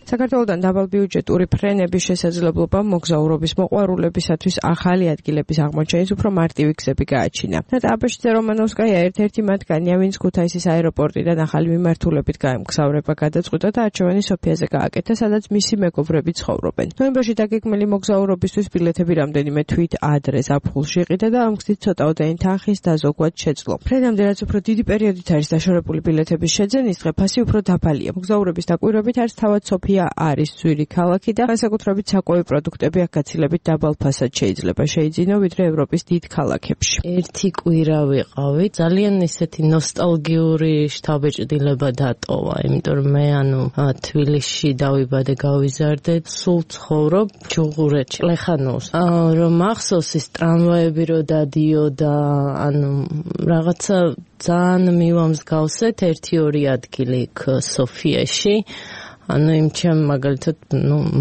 საქართველოდან დაბალბიუჯეტური ფრენების შესაძლებლობა მოგზაურობის მოყვარულებისათვის ახალი ადგილების აღმოჩენის უფრო მარტივი გზები გააჩინა. ნატაბეშიძე რომანოვსკაია ერთ-ერთი მათგანია, ვინც ქუთაისის აეროპორტიდან ახალი მიმართულებით გაემგზავრება გადაწყვიტა და არჩევანი სოფიაზე გააკეთა, სადაც მისი მეგობრები ცხოვრობენ. ნოემბერში დაგეგმილი მოგზაურობისთვის ბილეთები რამდენიმე თვით ადრე ზაფხულში იყიდა და ამ გზით ცოტაოდენი თანხის დაზოგვად შეძლო. ფრენამდე რაც უფრო დიდი პერიოდით არის დაშორებული ბილეთების შეძენის დღე ფასი უფრო დაბალია. მოგზაურების დაკვირვებით არის თავად სოფია არის ძვირი ქალაქი და განსაკუთრებით საკვები პროდუქტები აქ გაცილებით დაბალ ფასად შეიძლება შეიძინო ვიდრე ევროპის დიდ ქალაქებში. ერთი კვირა ვიყავი, ძალიან ისეთი ნოსტალგიური შთაბეჭდილება დატოვა, იმიტომ რომ მე თბილისში დავიბადე, გავიზარდე, სულ ცხოვრობ ჯუღურეთში, ლეხანოოს. რომ მახსოვს ის ტრამვაები რო დადიოდა, რაღაცა ძალიან მივამსგავსეთ 1-2 ადგილი იქ სოფიაში. იმ ჩემ მაგალითად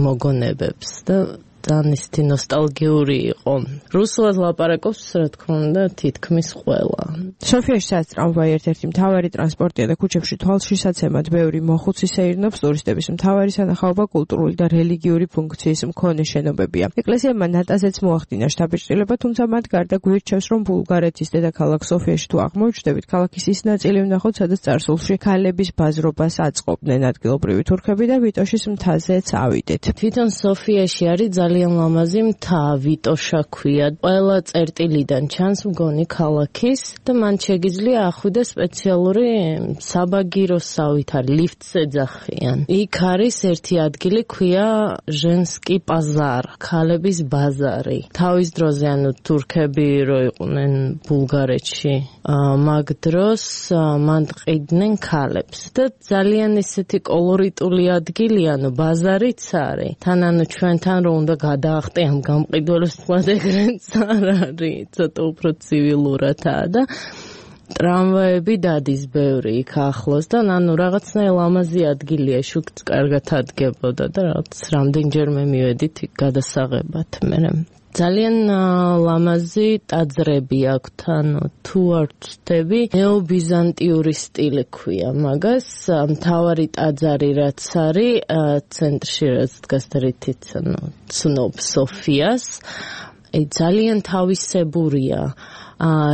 მოგონებებს და ძალიან ისეთი ნოსტალგიური იყო. რუსულად ლაპარაკობს, რა თქმა უნდა, თითქმის ყველა. სოფიაში სადაც ტრამვაი ერთ-ერთი მთავარი ტრანსპორტია და ქუჩებში თვალშისაცემად ბევრი მოხუცი სეირნობს, ტურისტების მთავარი სანახაობა კულტურული და რელიგიური ფუნქციის მქონე შენობებია. ეკლესიებმა ნატაზეც მოახდინა შთაბეჭდილება, თუმცა მათ გარდა გვირჩევს, რომ ბულგარეთის დედაქალაქ სოფიაში თუ აღმოჩნდებით, ქალაქის ის ნაწილი ვნახოთ, სადაც წარსულში ქალების ბაზრობას აწყობდნენ ადგილობრივი თურქები და ვიტოშის მთაზეც ავიდეთ. თვითონ სოფიაში არის ძალიან ლამაზი მთა, ვიტოშა ქვია. ყველა წერტილიდან ჩანს მგონი ქალაქის და მან შეგიძლია ახვიდა სპეციალური საბაგიროსავით არის, ლიფტს ეძახიან. იქ არის ერთი ადგილი ქვია ჟენსკი პაზარ, ქალების ბაზარი. თავის დროზე თურქები რო იყვნენ ბულგარეთში, მაგ დროს მან ყიდნენ ქალებს და ძალიან ისეთი კოლორიტული ადგილია, ბაზარიც არის. თან ჩვენთან რო უნდა გადაახტე ამ გამყიდველებს, თქვათ ეგრეც არ არის, ცოტა უფრო ცივილურადაა და ტრამვაები დადის ბევრი იქ ახლოს და რაღაცნაირ ლამაზი ადგილია, შუქც კარგად ადგებოდა და რაღაც რამდენჯერმე მივედით იქ გადასაღებად. ძალიან ლამაზი ტაძრები აქვთ, თუ არ ვცდები, ნეობიზანტიური სტილი ქვია მაგას. მთავარი ტაძარი რაც არის ცენტრში, რაც დგას და რითიც ცნობ სოფიას, ძალიან თავისებურია.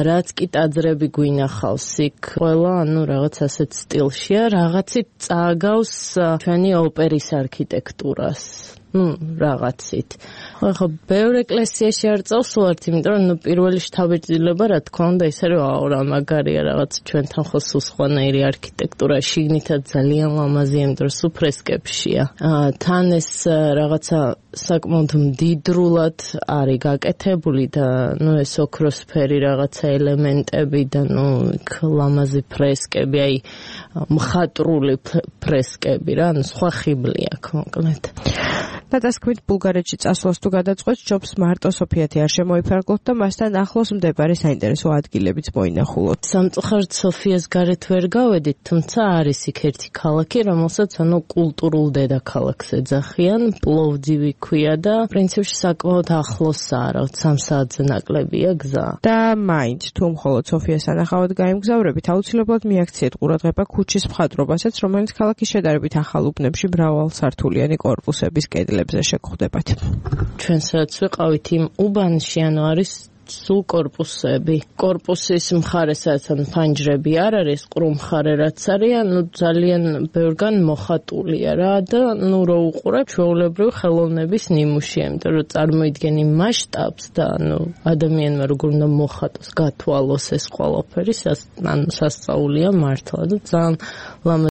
რაც კი ტაძრები გვინახავს იქ, ყველა რაღაც ასეთ სტილშია, რაღაცით წააგავს ჩვენი ოპერის არქიტექტურას. რაღაცით. ხო, ბევრ ეკლესიაში არ წავს ვართ, იმიტომ რომ პირველი შთაბეჭდილება, რა თქმა უნდა, ისე რომ რა მაგარია რაღაც ჩვენთან ხო სულ სხვანაირი არქიტექტურა, შიგნითაც ძალიან ლამაზია, იმიტომ რომ სულ ფრესკებშია. თან ეს რაღაცა საკმაოდ მდიდრულად არის გაკეთებული და ეს ოქროსფერი რაღაცა ელემენტები და იქ ლამაზი ფრესკები, აი მხატვრული ფრესკები რა, სხვა ხიბლი აქვს მოკლედ. დადასკვით ბულგარეთში წასვლას თუ გადაწყვეტს, ჯობს მარტო სოფიათი არ შემოიფარგლოთ და მასთან ახლოს მდებარე საინტერესო ადგილებიც მოინახულოთ. სამწუხაროდ სოფიას გარეთ ვერ გავედით, თუმცა არის იქ ერთი ქალაქი, რომელსაც კულტურულ დედაქალაქს ეძახიან, პლოვდივი ქვია და პრინციპში საკმაოდ ახლოსაა, რაღაც 3 საათზე ნაკლებია გზა. და მაინც თუ მხოლოდ სოფიას სანახავად გაემგზავრებით, აუცილებლად მიაქციეთ ყურადღება ქუჩის მხატვრობასაც, რომელიც ქალაქის შედარებით ახალ უბნებში მრავალსართულიანი კორპუსების კედლებზე შეგხვდებათ. ჩვენ სადაც ვიყავით იმ უბანში, არის სულ კორპუსები. კორპუსის მხარესაც ფანჯრები არ არის, ყრუ მხარე რაც არის, ძალიან ბევრგან მოხატულია რა და რო უყურებ ჩვეულებრივ ხელოვნების ნიმუშია, იმიტომ რომ წარმოიდგენ იმ მასშტაბს და ადამიანმა როგორ უნდა მოხატოს, გათვალოს ეს ყველაფერი, სასწაულია მართლა და ძალიან